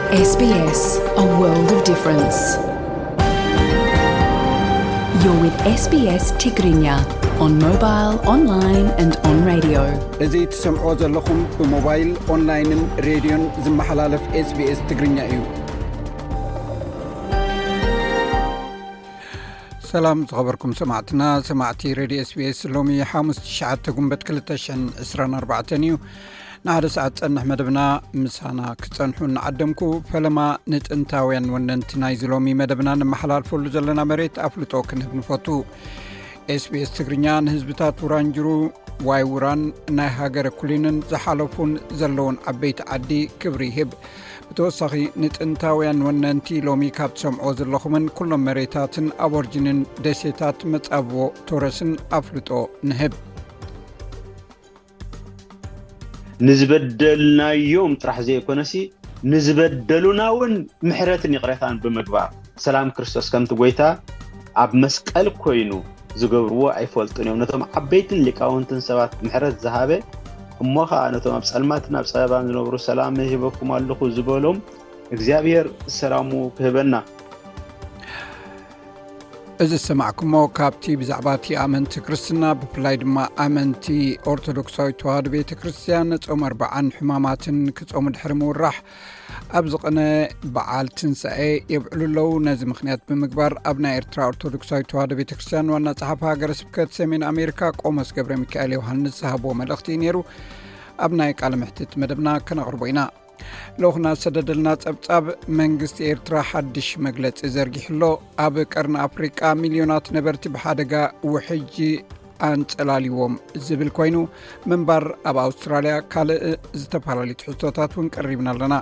S B S, a world of difference. You're with S B S Tigrinya on mobile, online and on radio. እዚ ትሰምዖ ዘለኹም ብሞባይል፣ ኦንላይንን ሬድዮን ዝመሓላለፍ SBS ትግርኛ እዩ። ሰላም ዝኸበርኩም ሰማዕትና፣ ሰማዕቲ ሬድዮ SBS፣ ሎሚ ሓሙስ ትሽዓተ ጉንበት ክልተ ሽሕን ዕስራን ኣርባዕተን እዩ። ንሓደ ሰዓት ጸንሕ መደብና ምሳና ክጸንሑ እናዓደምኩ፣ ፈለማ ንጥንታውያን ወነንቲ ናይዚ ሎሚ መደብና ነመሓላልፈሉ ዘለና መሬት ኣፍልጦ ክንህብ ንፈቱ። SBS ትግርኛ ንህዝብታት ውራንጅሩ፣ ዋይ ውራን፣ ናይ ሃገረ ኩሊንን ዝሓለፉን ዘለውን ዓበይቲ ዓዲ ክብሪ ይህብ። ብተወሳኺ ንጥንታውያን ወነንቲ ሎሚ ካብ ትሰምዖ ዘለኹምን ኩሎም መሬታትን ኣቦርጅንን ደሴታት መጻብቦ ቶረስን ኣፍልጦ ንህብ። ንዝበደልናዮም ጥራሕ ዘይኮነሲ ንዝበደሉና እውን ምሕረትን ይቕሬታን ብምግባር፣ ሰላም ክርስቶስ ከምቲ ጎይታ ኣብ መስቀል ኮይኑ ዝገብርዎ ኣይፈልጡን እዮም። ነቶም ዓበይትን ሊቃውንትን ሰባት ምሕረት ዝሃበ፣ እሞ ኸዓ ነቶም ኣብ ጸልማትን ኣብ ጸበባን ዝነብሩ ሰላም ሂበኩም ኣለኹ ዝበሎም እግዚኣብሔር ሰላሙ ክህበና። እዚ ዝሰማዕኩሞ ካብቲ ብዛዕባ እቲ ኣመንቲ ክርስትና፣ ብፍላይ ድማ ኣመንቲ ኦርቶዶክሳዊት ተዋህዶ ቤተ ክርስቲያን፣ ጾም ኣርብዓን ሕማማትን ክጾሙ ድሕሪ ምውራሕ ኣብ ዝቐነ በዓል ትንሳኤ የብዕሉ ኣለዉ። ነዚ ምኽንያት ብምግባር ኣብ ናይ ኤርትራ ኦርቶዶክሳዊት ተዋህዶ ቤተ ክርስቲያን ዋና ጸሓፊ ሃገረ ስብከት ሰሜን ኣሜሪካ ቆሞስ ገብረ ሚካኤል ዮሃንስ ዝሃብዎ መልእኽቲ እዩ ነይሩ። ኣብ ናይ ቃለ መሕትት መደብና ከነቕርቦ ኢና። ልኡኽና ዝሰደደልና ጸብጻብ፣ መንግስቲ ኤርትራ ሓድሽ መግለጺ ዘርጊሑ ኣሎ። ኣብ ቀርኒ ኣፍሪቃ ሚልዮናት ነበርቲ ብሓደጋ ውሕጅ ኣንጸላልዎም ዝብል ኮይኑ፣ ምንባር ኣብ ኣውስትራልያ ካልእ ዝተፈላለዩ ትሕዝቶታት እውን ቀሪብና ኣለና።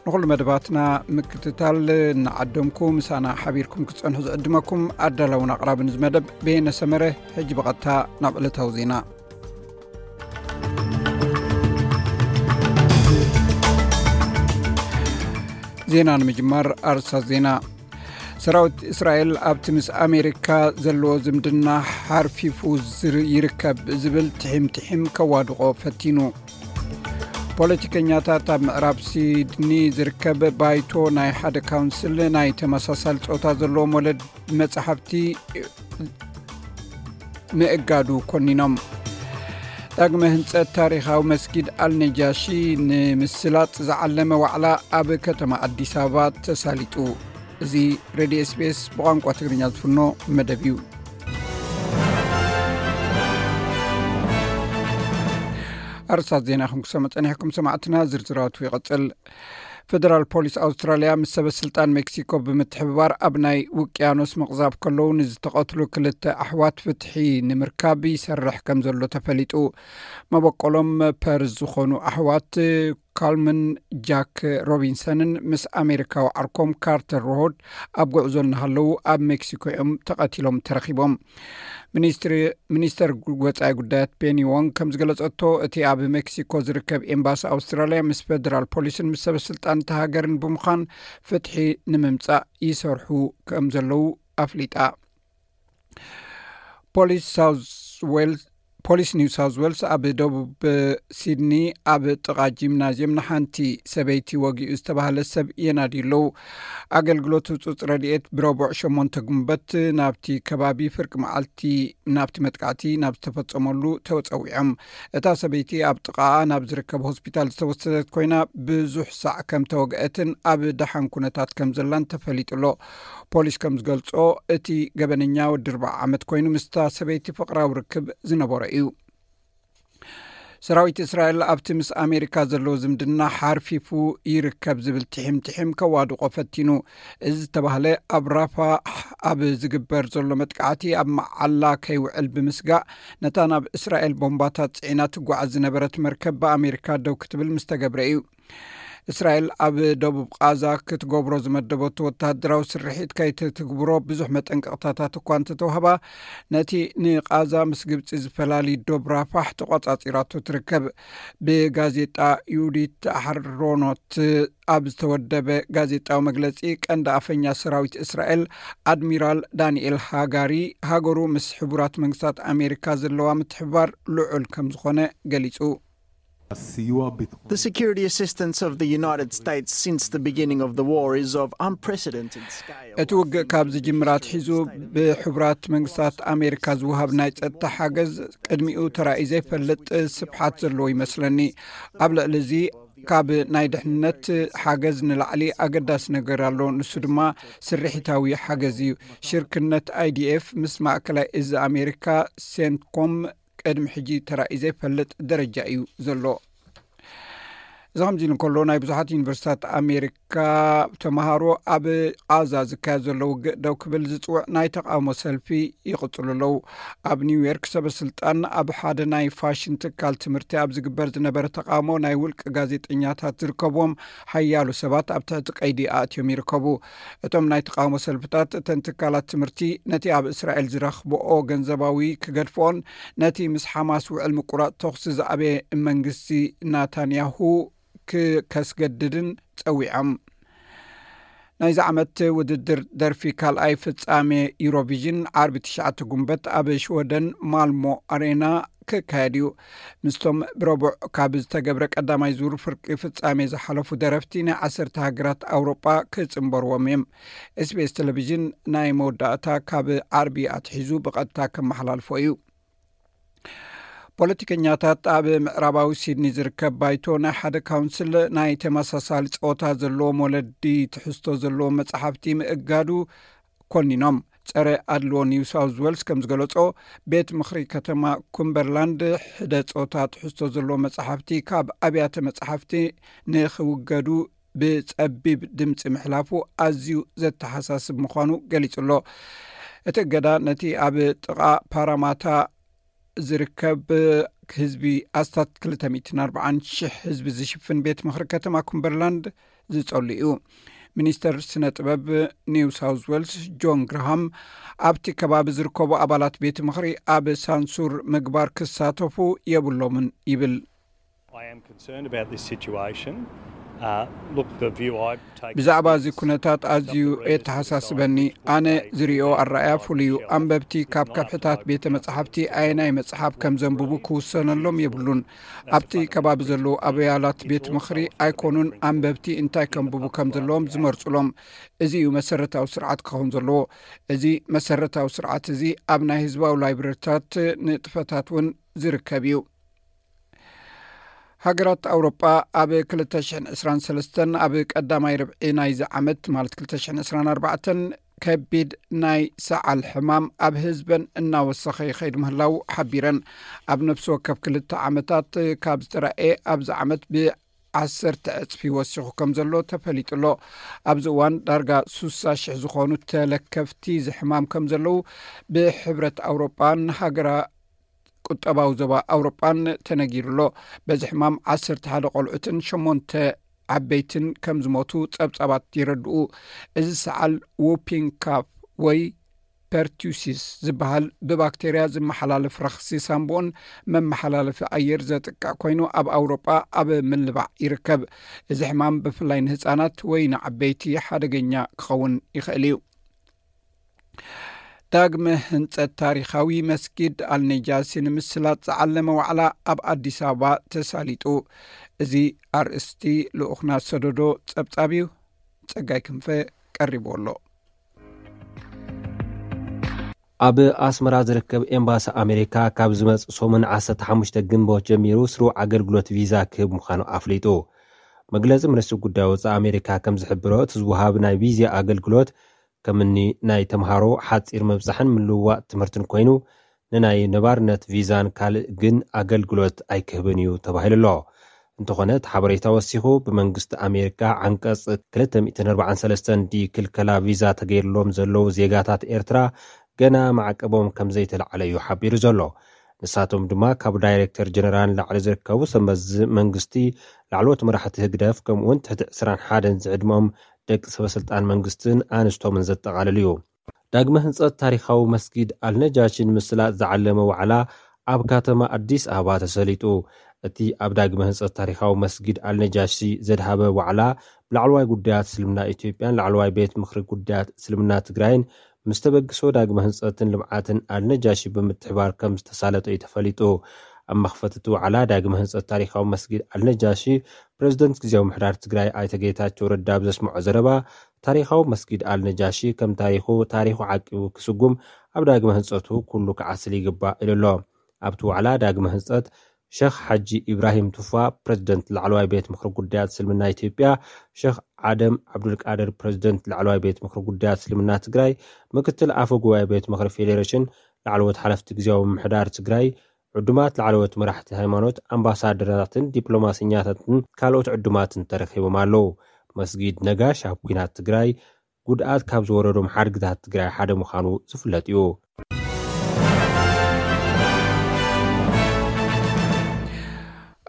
ንኹሉ መደባትና ምክትታል እናዓደምኩ ምሳና ሓቢርኩም ክትጸንሑ ዝዕድመኩም ኣዳላውን ኣቕራብን እዚ መደብ በየነ ሰመረ። ሕጂ ብቐጥታ ናብ ዕለታዊ ዜና። ዜና ንምጅማር ኣርእስታት ዜና። ሰራዊት እስራኤል ኣብቲ ምስ ኣሜሪካ ዘለዎ ዝምድና ሓርፊፉ ዝር-፣ ይርከብ ዝብል ትሒም ትሒም ከዋድቖ ፈቲኑ። ፖለቲከኛታት ኣብ ምዕራብ ሲድኒ ዝርከብ ባይቶ ናይ ሓደ ካውንስል ናይ ተመሳሳሊ ጾታ ዘለዎም ወለድ መጻሕፍቲ ምእጋዱ ኮኒኖም። ዳግመ ህንጸት ታሪኻዊ መስጊድ ኣልነጃሺ ንምስላጥ ዝዓለመ ዋዕላ ኣብ ከተማ ኣዲስ ኣበባ ተሳሊጡ። እዚ ሬድዮ SBS ብቋንቋ ትግርኛ ዝፍኖ መደብ እዩ። ኣርእስታት ዜና ከም ክሰምዑ ጸኒሕኩም ሰማዕትና፣ ዝርዝራቱ ይቐጽል። ፌደራል ፖሊስ ኣውስትራልያ ምስ ሰበ ስልጣን ሜክሲኮ ብምትሕብባር ኣብ ናይ ውቅያኖስ ምቕዛፍ ከለዉ ንዝተቐትሉ ክልተ ኣሕዋት ፍትሒ ንምርካብ ይሰርሕ ከም ዘሎ ተፈሊጡ። መበቆሎም ፐርዝ ዝኾኑ ኣሕዋት ካልምን ጃክ ሮቢንሰንን ምስ ኣሜሪካዊ ዓርኮም ካርተር ሮሆድ ኣብ ጉዕዞ እናሃለዉ ኣብ ሜክሲኮ እዮም ተቐቲሎም ተረኺቦም። ሚኒስትሪ፣ ሚኒስተር ወጻኢ ጉዳያት ፔኒ ዎንግ ከም ዝገለጸቶ፣ እቲ ኣብ ሜክሲኮ ዝርከብ ኤምባሲ ኣውስትራልያ ምስ ፌደራል ፖሊስን ምስ ሰበ ስልጣን እታ ሃገርን ብምዃን ፍትሒ ንምምጻእ ይሰርሑ ከም ዘለዉ ኣፍሊጣ። ፖሊስ ሳውዝ ዌልስ፣ ፖሊስ ኒው ሳውዝ ዌልስ ኣብ ደቡብ ሲድኒ ኣብ ጥቓ ጂምናዝየም ንሓንቲ ሰበይቲ ወጊኡ ዝተባህለ ሰብ የናድዩ ኣለዉ። ኣገልግሎት ህጹጽ ረድኤት ብረቡዕ ሸሞንተ ጉንበት ናብቲ ከባቢ ፍርቂ መዓልቲ ናብቲ መጥቃዕቲ ናብ ዝተፈጸመሉ ተጸዊዖም። እታ ሰበይቲ ኣብ ጥቓኣ ናብ ዝርከብ ሆስፒታል ዝተወሰደት ኮይና፣ ብዙሕ ሳዕ ከም ተወግአትን ኣብ ደሓን ኩነታት ከም ዘላን ተፈሊጡ ኣሎ። ፖሊስ ከም ዝገልጾ፣ እቲ ገበነኛ ወዲ ኣርብዓ ዓመት ኮይኑ ምስታ ሰበይቲ ፍቕራዊ ርክብ ዝነበሮ እዩ። ሰራዊት እስራኤል ኣብቲ ምስ ኣሜሪካ ዘለዎ ዝምድና ሓርፊፉ ይርከብ ዝብል ትሒም ትሒም ከዋድቖ ፈቲኑ። እዚ ዝተባህለ ኣብ ራፋሕ ኣብ ዝግበር ዘሎ መጥቃዕቲ ኣብ መዓላ ከይውዕል ብምስጋእ፣ ነታ ናብ እስራኤል ቦምባታት ጽዒና ትጓዓዝ ዝነበረት መርከብ ብኣሜሪካ ደው ክትብል ምስ ተገብረ እዩ። እስራኤል ኣብ ደቡብ ቃዛ ክትገብሮ ዝመደበቶ ወተሃደራዊ ስርሒት ከይትትግብሮ ብዙሕ መጠንቀቕታታት እኳ እንተተዋህባ፣ ነቲ ንቃዛ ምስ ግብጺ ዝፈላሊ ዶብ ራፋሕ ተቋጻጺራቶ ትርከብ። ብጋዜጣ ዩዲት ኣሕሮኖት ኣብ ዝተወደበ ጋዜጣዊ መግለጺ፣ ቀንዲ ኣፈኛ ሰራዊት እስራኤል ኣድሚራል ዳንኤል ሃጋሪ፣ ሃገሩ ምስ ሕቡራት መንግስታት ኣሜሪካ ዘለዋ ምትሕብባር ልዑል ከም ዝኾነ ገሊጹ። הסיוע הביטחוני. The security assistance of the United States since the beginning of the war is of unprecedented scale. እቲ ውግእ ካብ ዝጅምር ኣትሒዙ ብሕቡራት መንግስታት ኣሜሪካ ዝወሃብ ናይ ጸጥታ ሓገዝ ቅድሚኡ ተራእዩ ዘይፈልጥ ስፍሓት ዘለዎ ይመስለኒ። ኣብ ልዕሊ እዚ ካብ ናይ ድሕነት ሓገዝ ንላዕሊ ኣገዳሲ ነገር ኣሎ። ንሱ ድማ ስርሒታዊ ሓገዝ እዩ። ሽርክነት ኣይዲኤፍ ምስ ማእከላይ እዚ ኣሜሪካ ሴንትኮም ቅድሚ ሕጂ ተራእዩ ዘይፈልጥ ደረጃ እዩ ዘሎ። እዚ ከምዚ ኢሉ እንከሎ፣ ናይ ብዙሓት ዩኒቨርሲታት ኣሜሪካ ተምሃሮ ኣብ ቓዛ ዝካየድ ዘሎ ውግእ ደው ክብል ዝፅውዕ ናይ ተቃውሞ ሰልፊ ይቕፅሉ ኣለዉ። ኣብ ኒውዮርክ ሰበ ስልጣን ኣብ ሓደ ናይ ፋሽን ትካል ትምህርቲ ኣብ ዝግበር ዝነበረ ተቃውሞ ናይ ውልቂ ጋዜጠኛታት ዝርከብዎም ሓያሎ ሰባት ኣብ ትሕቲ ቀይዲ ኣእትዮም ይርከቡ። እቶም ናይ ተቃውሞ ሰልፍታት እተን ትካላት ትምህርቲ ነቲ ኣብ እስራኤል ዝረኽብኦ ገንዘባዊ ክገድፍኦን ነቲ ምስ ሓማስ ውዕል ምቁራፅ ተኹሲ ዝኣበየ መንግስቲ ናታንያሁ ክከስገድድን ጸዊዖም። ናይዚ ዓመት ውድድር ደርፊ ካልኣይ ፍጻሜ ዩሮቪዥን ዓርቢ ትሽዓተ ጉንበት ኣብ ሽወደን ማልሞ ኣሬና ክካየድ እዩ። ምስቶም ብረቡዕ ካብ ዝተገብረ ቀዳማይ ዙር ፍርቂ ፍጻሜ ዝሓለፉ ደረፍቲ ናይ ዓሰርተ ሃገራት ኣውሮጳ ክጽንበርዎም እዮም። ኤስቢኤስ ቴሌቪዥን ናይ መወዳእታ ካብ ዓርቢ ኣትሒዙ ብቐጥታ ከመሓላልፎ እዩ። ፖለቲከኛታት ኣብ ምዕራባዊ ሲድኒ ዝርከብ ባይቶ ናይ ሓደ ካውንስል ናይ ተመሳሳሊ ጸወታ ዘለዎም ወለዲ ትሕዝቶ ዘለዎም መጻሕፍቲ ምእጋዱ ኮኒኖም። ጸረ ኣድልዎ ኒው ሳውዝ ዌልስ ከም ዝገለጾ፣ ቤት ምኽሪ ከተማ ኩምበርላንድ ሕደ ጾታ ትሕዝቶ ዘለዎ መጻሕፍቲ ካብ ኣብያተ መጻሕፍቲ ንኽውገዱ ብጸቢብ ድምፂ ምሕላፉ ኣዝዩ ዘተሓሳስብ ምዃኑ ገሊጹ ኣሎ። እቲ እገዳ ነቲ ኣብ ጥቓ ፓራማታ ዝርከብ ህዝቢ ኣስታት ክልተ ሚእትን ኣርባዓን ሽሕ ህዝቢ ዝሽፍን ቤት ምኽሪ ከተማ ኩምበርላንድ ዝጸሉ እዩ። ሚኒስተር ስነ ጥበብ ኒው ሳውዝ ዌልስ ጆን ግራሃም ኣብቲ ከባቢ ዝርከቡ ኣባላት ቤት ምኽሪ ኣብ ሳንሱር ምግባር ክሳተፉ የብሎምን ይብል። I am concerned about this situation. Uh, look, the view I take ብዛዕባ እዚ ኩነታት ኣዝዩ የተሓሳስበኒ። ኣነ ዝሪኦ ኣረኣያ ፍሉይ እዩ። ኣንበብቲ ካብ ከብሕታት ቤተ መጻሕፍቲ ኣየናይ መጽሓፍ ከም ዘንብቡ ክውሰነሎም የብሉን። ኣብቲ ከባቢ ዘለዉ ኣበያላት ቤት ምኽሪ ኣይኮኑን ኣንበብቲ እንታይ ከንብቡ ከም ዘለዎም ዝመርጹሎም። እዚ እዩ መሰረታዊ ስርዓት ክኸውን ዘለዎ። እዚ መሰረታዊ ስርዓት እዚ ኣብ ናይ ህዝባዊ ላይብረሪታት ንጥፈታት እውን ዝርከብ እዩ። ሃገራት ኣውሮጳ ኣብ ክልተ ሽሕን ዕስራን ሰለስተን ኣብ ቀዳማይ ርብዒ ናይዚ ዓመት ማለት ክልተ ሽሕን ዕስራን ኣርባዕተን ከቢድ ናይ ሰዓል ሕማም ኣብ ህዝበን እናወሰኸ ይኸይድ ምህላው ሓቢረን። ኣብ ነፍሲ ወከፍ ክልተ ዓመታት ካብ ዝተረኣየ ኣብዚ ዓመት ብዓሰርተ ዕፅፊ ወሲኹ ከም ዘሎ ተፈሊጡ ኣሎ። ኣብዚ እዋን ዳርጋ ሱሳ ሽሕ ዝኾኑ ተለከፍቲ እዚ ሕማም ከም ዘለዉ ብሕብረት ኣውሮጳን ሃገራ ቁጠባዊ ዞባ ኣውሮጳን ተነጊሩ ኣሎ። በዚ ሕማም ዓሰርተ ሓደ ቆልዑትን ሸሞንተ ዓበይትን ከም ዝሞቱ ጸብጻባት ይረድኡ። እዚ ሰዓል ዉፒንግ ካፍ ወይ ፐርቱሲስ ዝበሃል ብባክቴርያ ዝመሓላለፍ ረኽሲ ሳምቦን መመሓላለፊ ኣየር ዘጥቅዕ ኮይኑ ኣብ ኣውሮጳ ኣብ ምልባዕ ይርከብ። እዚ ሕማም ብፍላይ ንህጻናት ወይ ንዓበይቲ ሓደገኛ ክኸውን ይኽእል እዩ። ዳግመ ህንጸት ታሪኻዊ መስጊድ ኣልነጃሲ ንምስላጥ ዝዓለመ ዋዕላ ኣብ ኣዲስ ኣበባ ተሳሊጡ። እዚ ኣርእስቲ ልኡኽና ሰደዶ ጸብጻብ እዩ። ጸጋይ ክንፈ ቀሪቡ ኣሎ። ኣብ ኣስመራ ዝርከብ ኤምባሲ ኣሜሪካ ካብ ዝመጽእ ሰሙን ዓሰርተ ሓሙሽተ ግንቦት ጀሚሩ ስሩዕ ኣገልግሎት ቪዛ ክህብ ምዃኑ ኣፍሊጡ። መግለጺ ሚኒስትሪ ጉዳይ ወጻኢ ኣሜሪካ ከም ዝሕብሮ፣ እቲ ዝወሃብ ናይ ቪዛ ኣገልግሎት ከምኒ ናይ ተምሃሮ ሓጺር ምብጻሕን ምልውዋጥ ትምህርትን ኮይኑ፣ ንናይ ነባርነት ቪዛን ካልእ ግን ኣገልግሎት ኣይክህብን እዩ ተባሂሉ ኣሎ። እንተኾነ፣ እቲ ሓበሬታ ወሲኹ፣ ብመንግስቲ ኣሜሪካ ዓንቀጽ ክልተ ሚእትን ኣርባዓን ሰለስተን ዲ ክልከላ ቪዛ ተገይርሎም ዘለዉ ዜጋታት ኤርትራ ገና ማዕቀቦም ከም ዘይተላዕለ እዩ ሓቢሩ ዘሎ። ንሳቶም ድማ ካብ ዳይሬክተር ጀነራል ንላዕሊ ዝርከቡ ሰበዚ መንግስቲ፣ ላዕለዎት መራሕቲ ህግደፍ፣ ከምኡውን ትሕቲ ዕስራን ሓደን ዝዕድመኦም ደቂ ሰበስልጣን መንግስትን ኣንስቶምን ዘጠቓልል እዩ። ዳግመ ህንጸት ታሪኻዊ መስጊድ ኣልነጃሺ ንምስላጥ ዝዓለመ ዋዕላ ኣብ ከተማ ኣዲስ ኣበባ ተሰሊጡ። እቲ ኣብ ዳግመ ህንጸት ታሪኻዊ መስጊድ ኣልነጃሺ ዘድሃበ ዋዕላ ብላዕለዋይ ጉዳያት እስልምና ኢትዮጵያን ላዕለዋይ ቤት ምኽሪ ጉዳያት እስልምና ትግራይን ምስ ተበግሶ ዳግመ ህንጸትን ልምዓትን ኣልነጃሺ ብምትሕባር ከም ዝተሳለጠ እዩ ተፈሊጡ። ኣብ መኽፈቲ እቲ ዋዕላ ዳግመ ህንፀት ታሪኻዊ መስጊድ ኣልነጃሺ ፕሬዝደንት ግዜያዊ ምሕዳር ትግራይ ኣይተ ጌታቸው ረዳ ኣብ ዘስምዖ ዘረባ፣ ታሪኻዊ መስጊድ ኣልነጃሺ ከም ታሪኹ ታሪኹ ዓቂቡ ክስጉም ኣብ ዳግመ ህንፀቱ ኩሉ ክዓስል ይግባእ ኢሉ ኣሎ። ኣብቲ ዋዕላ ዳግመ ህንፀት ሸኽ ሓጂ ኢብራሂም ቱፋ ፕሬዝደንት ላዕለዋይ ቤት ምኽሪ ጉዳያት እስልምና ኢትዮጵያ፣ ሸኽ ዓደም ዓብዱልቃድር ፕሬዝደንት ላዕለዋይ ቤት ምኽሪ ጉዳያት እስልምና ትግራይ፣ ምክትል ኣፈ ጉባኤ ቤት ምኽሪ ፌዴሬሽን፣ ላዕለዎት ሓለፍቲ ግዜያዊ ምምሕዳር ትግራይ፣ ዕዱማት ላዕለዎት መራሕቲ ሃይማኖት፣ ኣምባሳደራትን ዲፕሎማሰኛታትን ካልኦት ዕዱማትን ተረኺቦም ኣለዉ። መስጊድ ነጋሽ ኣብ ኲናት ትግራይ ጉድኣት ካብ ዝወረዶም ሓድግታት ትግራይ ሓደ ምዃኑ ዝፍለጥ እዩ።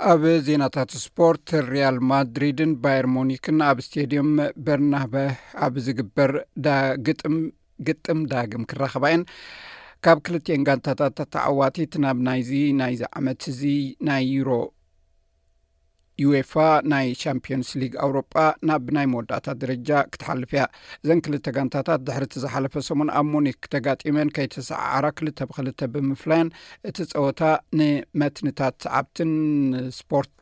ኣብ ዜናታት ስፖርት፣ ሪያል ማድሪድን ባየር ሙኒክን ኣብ ስቴድየም በርናበ ኣብ ዝግበር ዳ ግጥም ግጥም ዳግም ክራኸባ እየን። ካብ ክልቲኤን ጋንታታት ተዓዋቲት ናብ ናይዚ ናይዚ ዓመት እዚ ናይ ዩሮ ዩኤፋ ናይ ቻምፒዮንስ ሊግ ኣውሮጳ ናብ ናይ መወዳእታ ደረጃ ክትሓልፍ እያ። እዘን ክልተ ጋንታታት ድሕሪ እቲ ዝሓለፈ ሰሙን ኣብ ሙኒክ ተጋጢመን ከይተሰዓዓራ ክልተ ብክልተ ብምፍላየን እቲ ጸወታ ንመትንታት ሰዓብትን ስፖርት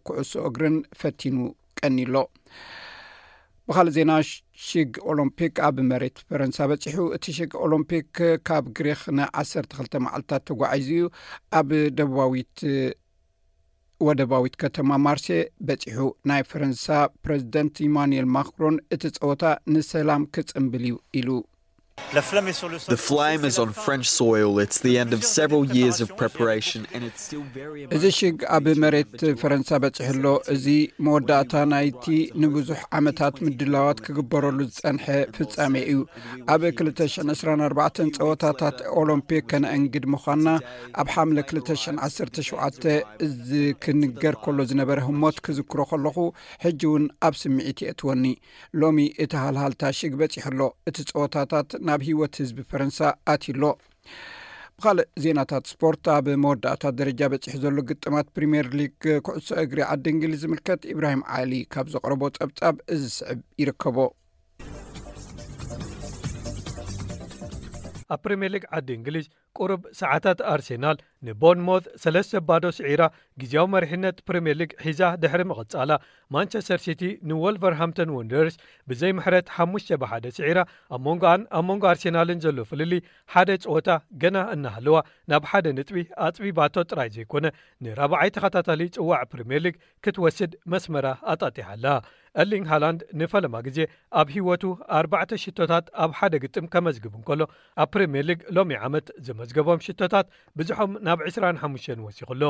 ኩዕሶ እግርን ፈቲኑ ቀኒሎ። ብኻልእ ዜና፣ ሽግ ኦሎምፒክ ኣብ መሬት ፈረንሳ በጺሑ። እቲ ሽግ ኦሎምፒክ ካብ ግሪኽ ንዓሰርተ ክልተ መዓልታት ተጓዒዙ እዩ። ኣብ ደቡባዊት ወደባዊት ከተማ ማርሴ በጺሑ። ናይ ፈረንሳ ፕረዚደንት ኢማኑኤል ማክሮን እቲ ጸወታ ንሰላም ክጽንብል እዩ ኢሉ። The flame is on French soil. It's the end of several years of preparation, and it's still very እዚ ሽግ ኣብ መሬት ፈረንሳ በጺሑ ኣሎ። እዚ መወዳእታ ናይቲ ንብዙሕ ዓመታት ምድላዋት ክግበረሉ ዝጸንሐ ፍጻሜ እዩ። ኣብ ክልተ ሽሕን ዕስራን ኣርባዕተን ጸወታታት ኦሎምፒክ ከነእንግድ ምዃንና ኣብ ሓምለ ክልተ ሽሕን ዓሰርተ ሸውዓተ እዚ ክንገር ከሎ ዝነበረ ህሞት ክዝክሮ ከለኹ፣ ሕጂ እውን ኣብ ስምዒት የእትወኒ። ሎሚ እቲ ሃልሃልታ ሽግ በጺሑ ኣሎ። እቲ ጸወታታት ናብ ህይወት ህዝቢ ፈረንሳ ኣትዩ ኣሎ። ብኻልእ ዜናታት ስፖርት፣ ኣብ መወዳእታ ደረጃ በጺሑ ዘሎ ግጥማት ፕሪምየር ሊግ ኩዕሶ እግሪ ዓዲ እንግሊዝ ዝምልከት ኢብራሂም ዓሊ ካብ ዘቕረቦ ጸብጻብ እዚ ዝስዕብ ይርከቦ። ኣብ ፕሪምየር ሊግ ዓዲ እንግሊዝ ቁሩብ ሰዓታት ኣርሴናል ንቦርንሞዝ ሰለስተ ባዶ ስዒራ ግዜያዊ መሪሕነት ፕሪምየር ሊግ ሒዛ ድሕሪ ምቕጻላ፣ ማንቸስተር ሲቲ ንወልቨርሃምፕተን ወንደርስ ብዘይ ምሕረት ሓሙሽተ ብሓደ ስዒራ፣ ኣብ መንጎኣን ኣብ መንጎ ኣርሴናልን ዘሎ ፍልልይ ሓደ ጸወታ ገና እናሃለዋ ናብ ሓደ ነጥቢ ኣጽቢባቶ ጥራይ ዘይኮነ ንራብዓይ ተኸታታሊ ጽዋዕ ፕሪምየር ሊግ ክትወስድ መስመራ ኣጣጢሓ ኣላ። ኤርሊንግ ሃላንድ ንፈለማ ግዜ ኣብ ህይወቱ ኣርባዕተ ሽቶታት ኣብ ሓደ ግጥም ከመዝግብ እንከሎ፣ ኣብ ፕሪምየር ሊግ ሎሚ ዓመት ዘመዝገቦም ሽቶታት ብዝሖም ናብ ዕስራን ሓሙሽተን ወሲኹ ኣሎ።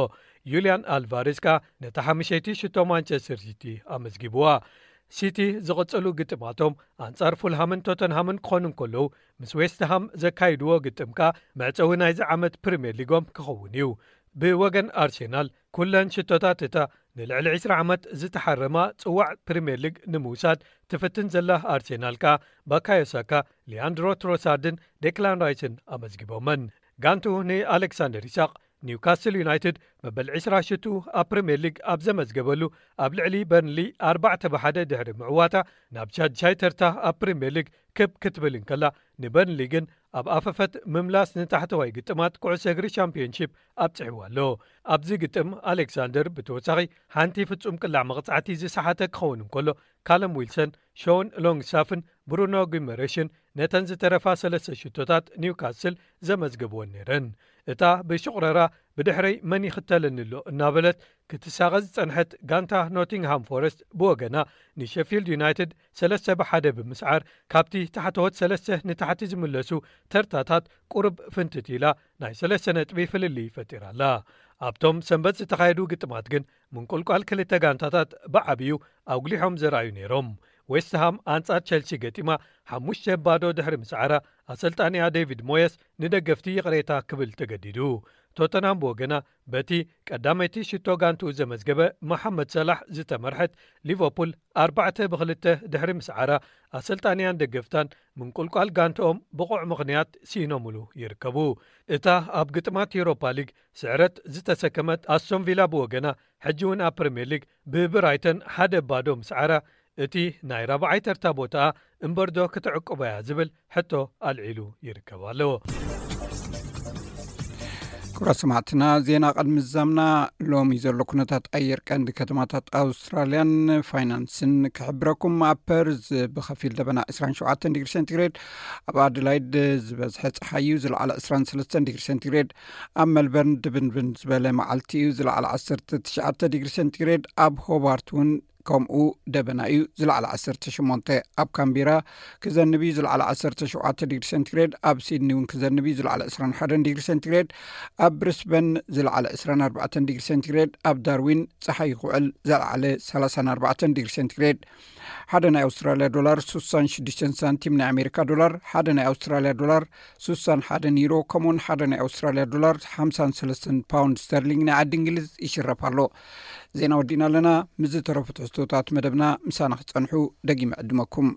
ዩልያን ኣልቫሬዝ ከኣ ነታ ሓሙሸይቲ ሽቶ ማንቸስተር ሲቲ ኣመዝጊብዋ። ሲቲ ዝቕጽሉ ግጥማቶም ኣንጻር ፉልሃምን ቶተንሃምን ክኾኑ እንከለዉ፣ ምስ ዌስትሃም ዘካይድዎ ግጥም ከኣ መዕጸዊ ናይዚ ዓመት ፕሪምየር ሊጎም ክኸውን እዩ። ብወገን ኣርሴናል፣ ኩለን ሽቶታት እታ ንልዕሊ ዕስራ ዓመት ዝተሓረማ ጽዋዕ ፕሪምየር ሊግ ንምውሳድ ትፍትን ዘላ ኣርሴናል ከኣ፣ ባካዮ ሳካ፣ ሊያንድሮ ትሮሳርድን ዴክላን ራይስን ኣመዝጊቦመን። ጋንቱ ንኣሌክሳንደር ኢሳቕ፣ ኒውካስል ዩናይትድ መበል ዕስራ ሽቱ ኣብ ፕሪምየር ሊግ ኣብ ዘመዝገበሉ፣ ኣብ ልዕሊ በርንሊ ኣርባዕተ ብሓደ ድሕሪ ምዕዋታ፣ ናብ ሻድሻይ ተርታ ኣብ ፕሪምየር ሊግ ክብ ክትብል እንከላ፣ ንበርንሊ ግን ኣብ ኣፈፈት ምምላስ ንታሕተዋይ ግጥማት ኩዕሶ እግሪ ሻምፒዮንሺፕ ኣብጺሕዋ ኣሎ። ኣብዚ ግጥም ኣሌክሳንደር ብተወሳኺ ሓንቲ ፍጹም ቅላዕ መቕጻዕቲ ዝሰሓተ ክኸውን እንከሎ፣ ካለም ዊልሰን፣ ሾን ሎንግስታፍን ብሩኖ ጊመሬሽን ነተን ዝተረፋ ሰለስተ ሽቶታት ኒውካስል ዘመዝገብወን ነይረን። እታ ብሽቑረራ ብድሕረይ መን ይኽተለኒ ኣሎ እናበለት ክትሳቐ ዝጸንሐት ጋንታ ኖቲንግሃም ፎረስት ብወገና ንሸፊልድ ዩናይትድ ሰለስተ ብሓደ ብምስዓር ካብቲ ታሕተዎት ሰለስተ ንታሕቲ ዝምለሱ ተርታታት ቁሩብ ፍንትት ኢላ ናይ ሰለስተ ነጥቢ ፍልልይ ፈጢራ ኣላ። ኣብቶም ሰንበት ዝተኻየዱ ግጥማት ግን ምንቁልቋል ክልተ ጋንታታት ብዓብዩ ኣጉሊሖም ዘርኣዩ ነይሮም። ዌስትሃም ኣንጻር ቸልሲ ገጢማ ሓሙሽተ ባዶ ድሕሪ ምስዓራ ኣሰልጣኒኣ ዴቪድ ሞየስ ንደገፍቲ ይቕሬታ ክብል ተገዲዱ። ቶተንሃም ብወገና በቲ ቀዳመይቲ ሽቶ ጋንትኡ ዘመዝገበ መሓመድ ሰላሕ ዝተመርሐት ሊቨርፑል ኣርባዕተ ብክልተ ድሕሪ ምስዓራ ኣሰልጣኒያን ደገፍታን ምንቁልቋል ጋንትኦም ብቑዕ ምኽንያት ስኢኖምሉ ይርከቡ። እታ ኣብ ግጥማት ዩሮፓ ሊግ ስዕረት ዝተሰከመት ኣስቶን ቪላ ብወገና ሕጂ እውን ኣብ ፕሪምየር ሊግ ብብራይተን ሓደ ባዶ ምስዓራ እቲ ናይ ራብዓይ ተርታ ቦታኣ እምበርዶ ክትዕቅቦ እያ ዝብል ሕቶ ኣልዒሉ ይርከብ ኣሎ። ክቡራት ሰማዕትና፣ ዜና ቅድሚ ዛምና። ሎሚ ዘሎ ኩነታት ኣየር ቀንዲ ከተማታት ኣውስትራልያን ፋይናንስን ክሕብረኩም። ኣብ ፐርዝ ብኸፊል ደበና ዕስራን ሸውዓተን ዲግሪ ሴንቲግሬድ፣ ኣብ ኣደላይድ ዝበዝሐ ጸሓይ እዩ፣ ዝለዓለ ዕስራን ሰለስተን ዲግሪ ሴንቲግሬድ፣ ኣብ መልበርን ድብንብን ዝበለ መዓልቲ እዩ፣ ዝለዓለ ዓሰርተ ትሽዓተ ዲግሪ ሴንቲግሬድ፣ ኣብ ሆባርት እውን ከምኡ ደበና እዩ፣ ዝለዓለ ዓሰርተ ሸሞንተ፣ ኣብ ካምቢራ ክዘንብ እዩ፣ ዝለዓለ ዓሰርተ ሸውዓተ ዲግሪ ሴንቲግሬድ፣ ኣብ ሲድኒ እውን ክዘንብ እዩ፣ ዝለዓለ ዕስራን ሓደን ዲግሪ ሴንቲግሬድ፣ ኣብ ብሪስበን ዝለዓለ ዕስራን ኣርባዕተን ዲግሪ ሴንቲግሬድ፣ ኣብ ዳርዊን ጸሓይ ክውዕል፣ ዝለዓለ ሰላሳን ኣርባዕተን ዲግሪ ሴንቲግሬድ። ሓደ ናይ ኣውስትራልያ ዶላር ስሳን ሽዱሽተን ሳንቲም ናይ ኣሜሪካ ዶላር፣ ሓደ ናይ ኣውስትራልያ ዶላር ስሳን ሓደን ዩሮ፣ ከምኡውን ሓደ ናይ ኣውስትራልያ ዶላር ሓምሳን ሰለስተን ፓውንድ ስተርሊንግ ናይ ዓዲ እንግሊዝ ይሽረፍ ኣሎ። ዜና ወዲእና ኣለና። ምስ ዝተረፉ ትሕዝቶታት መደብና ምሳና ክጸንሑ ደጊመ ዕድመኩም።